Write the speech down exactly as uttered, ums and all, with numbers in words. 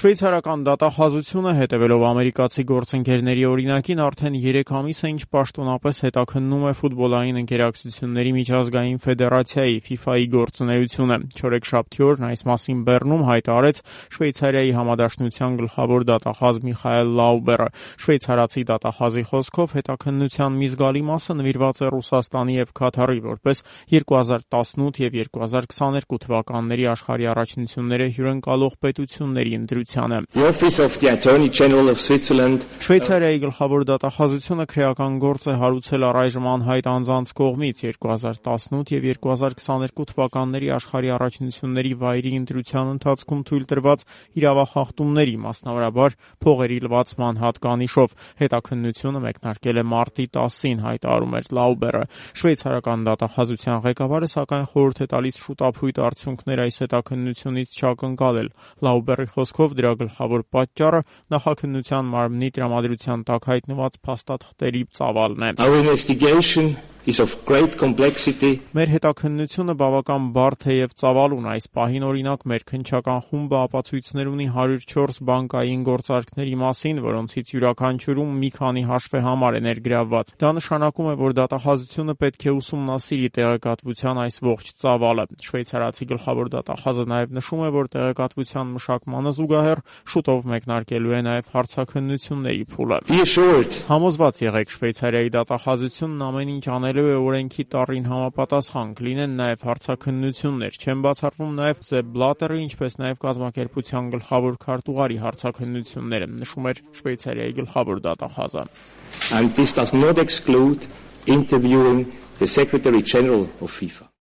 Շվեյցարական դատախազությունը, հետևելով ամերիկացի գործընկերների օրինակին, արդեն երեք ամիս է ինչ պաշտոնապես հետաքննում է ֆուտբոլային ընկերակցությունների միջազգային ֆեդերացիայի ֆիֆայի գործունեությունը։ Չորեքշաբթի օրն այս մասին Բեռնում հայտարարեց Շվեյցարիայի համադաշնության գլխավոր դատախազ Միխայել Լաուբերը։ Շվեյցարացի դատախազի խոսքով հետաքննության մի զգալի մասը նվիրված է Ռուսաստանի և Քաթարի որպես երկու հազար տասնութ և երկու հազար քսաներկու թվականների աշխարհի առաջնությունները հյուրընկալող պետությունների ընտրությանը։ Շվեյցարիայի գլխավոր դատախազությունը քրեական գործ է հարուցել առայժմ անհայտ անձանց կողմից երկու հազար տասնութ և երկու հազար քսաներկու թվականների աշխարհի առաջնությունների վայրի ընտրության ընթացքում թույլ տրված իրավախախտումների, մասնավորաբար փողերի լվացման հատկանիշով։ Հետաքննությունը մեկնարկել է մարտի տասին, հայտարարում էր Լաուբերը։ Շվեյցարական դատախազության ղեկավարը սակայն խորհուրդ է տալիս շուտափույթ արդյունքներ այս հետաքննությունից չակնկալել։ Լաուբերի խոսքով դրա գլխավոր պատճառը նախաքննության մարմնի տրամադրության տակ հայտնված փաստաթղթերի ծավալն է։ Մեր հետաքննությունը բավական բարդ է և ծավալուն։ Այս պահին, օրինակ, մեր քննչական խումբը ապացույցներ ունի հարյուր չորս բանկային գործարքների մասին, որոնցից յուրաքանչյուրում մի քանի հաշվեհամար է ներգրավված։ Դա նշանակում է, որ դատախազությունը պետք է ուսումնասիրի տեղեկատվության այս ողջ ծավալը։ Շվեյցարացի գլխավոր դատախազը նաև նշում է, որ տեղեկատվության մշակմանը զուգահեռ շուտով մեկնարկելու է նաև հարցաքննությունների փուլը։ Համոզված եղեք, Շվեյցարիայի դատախազությունն ամեն ինչ անելու է օրենքի տառին համապատասխան, կլինեն նաև հարցաքննություններ։ Չեն բացառվում նաև Սեփ Բլատերի, ինչպես նաև կազմակերպության գլխավոր քարտուղարի հարցաքննությունները, նշում էր Շվեյցարիայի գլխավոր դատախազը։ And this does not exclude interviewing the Secretary General of FIFA.